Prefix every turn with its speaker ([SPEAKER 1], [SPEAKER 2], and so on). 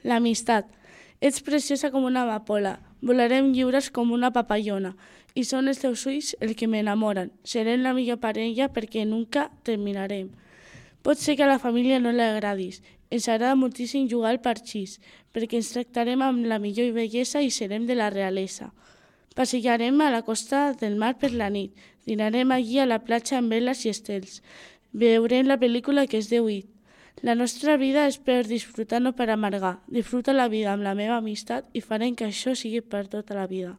[SPEAKER 1] L'amistat. Ets preciosa com una amapola, volarem lliures com una papallona, i són els teus ulls el que m'enamoren. Serem la millor parella perquè nunca terminarem. Pot ser que a la família no li agradis. Ens agrada moltíssim jugar al parxís, perquè ens tractarem amb la millor bellesa i serem de la realesa. Passejarem a la costa del mar per la nit, dinarem allí a la platja amb veles i estels, veurem la pel·lícula que es diu It. La nostra vida és per disfrutar, no per amargar. Disfruta la vida amb la meva amistat i farem que això sigui per tota la vida.